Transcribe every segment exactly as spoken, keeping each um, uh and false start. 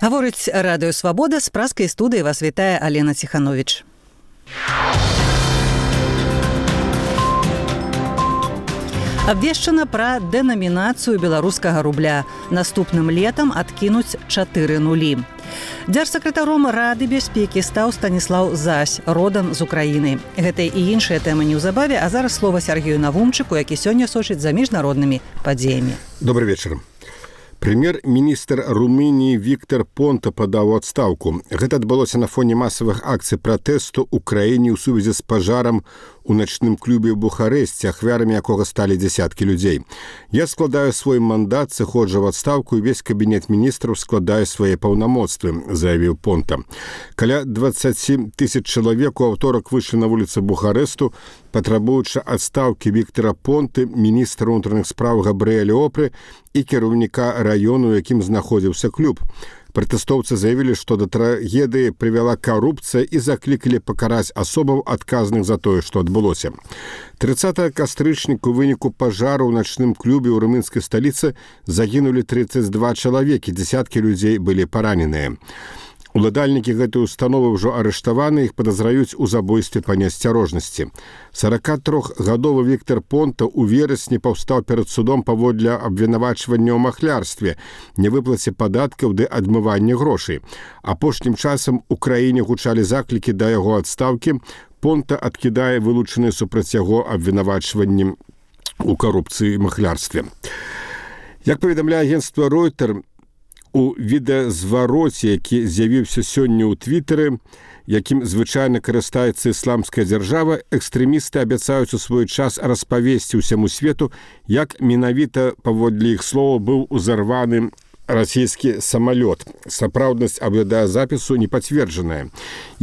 Гаворыць радыё «Свабода», з пражскай студыі вас вітае Алена Ціхановіч. Абвешчана пра дэнамінацыю беларускага рубля. Наступным летам адкінуць чатыры нулі. Дзяржсакратаром Рады бяспекі стаў Станіслаў Зась, родам з Украіны. Гэта і іншыя тэмы неўзабаве, а зараз слова Сергею Навумчыку, які сёння сочыць за міжнароднымі падзеямі. Добрый вечер. Прэм'ер-міністр Румыніі Віктор Понта падаў у адстаўку. Гэта адбылося на фоне масавых акцый пратэсту ў краіне ў сувязі з пажарам у начным клубе ў Бухарэсце, ахвярамі якога сталі дзясяткі людзей. Я складаю свой мандат, сыходжу в адстаўку, і весь кабінет міністраў складае свае паўнамоцтвы, заявіў Понта. Каля дваццаць тысяч чалавек у аўторак выйшлі на вуліцы Бухарэсту, патрабуючы адстаўкі Віктора Понты, міністра ўнутраных спраў Габрыэля Опры і кіраўніка раёну, у якім знаходзіўся клуб. Пратэстоўцы заявілі, што да трагедыі прывяла карупцыя і заклікалі пакараць асобаў, адказных за тое, што адбылося. трыццатага кастрычніка у выніку пажару ў начным клубе ў румынскай сталіцы загінулі трыццаць два чалавекі, дзясяткі людзей былі параненыя. Уладальнікі гэтай установы ўжо арыштаваны, іх падазраюць у забойстве па неасцярожнасці. сорокатрохгадовы Віктор Понта ў верасні паўстаў перад судом паводле абвінавачвання ў махлярстве, невыплаце падаткаў ды адмыванне грошай. Апошнім часам у краіне гучалі заклікі да яго адстаўкі. Понта адкідае вылучаныя супраць яго абвінавачванні ў карупцыі і махлярстве. Як паведамляе агенцтва Reuters, у відэазвароце, які з'явіўся сёння ў твітары, якім звычайна карыстаецца ісламская дзяржава, экстрэмісты абяцаюць у свой час распавесці ўсяму свету, як менавіта, паводле іх слова, быў узарваны расійскі самалёт. Сапраўднасць аўдыёзапісу не пацверджаная.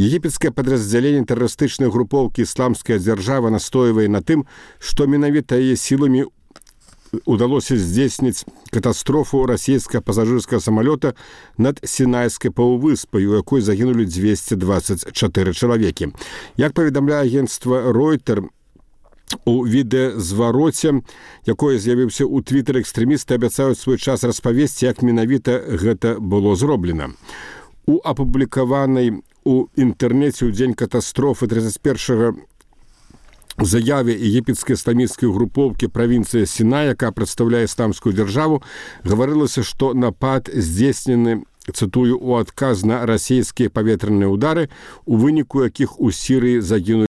Егіпецкае падраздзяленне тэрарыстычнай групоўкі «Ісламская дзяржава» настойвае на тым, што менавіта яе сіламі удалося здзейсніць катастрофу расійскага пасажырскага самалёта над Сінайскай паўвыспай, у якой загінулі дзвесце дваццаць чатыры чалавекі. Як паведамляе агенцтва Reuters, у відэазвароце, якое з'явіўся ў твітары, экстрэмісты абяцаюць свой час распавесці, як менавіта гэта было зроблена. У апублікаванай у інтэрнэце ў дзень катастрофы трыццаць першага заяве егіпецкай ісламісцкай групоўкі правінцыі Сінай, якая прадстаўляе ісламскую дзяржаву, гаварылася, што напад здзейснены, цытую, у адказ на расійскія паветраныя ўдары, у выніку якіх у Сірыі загінулі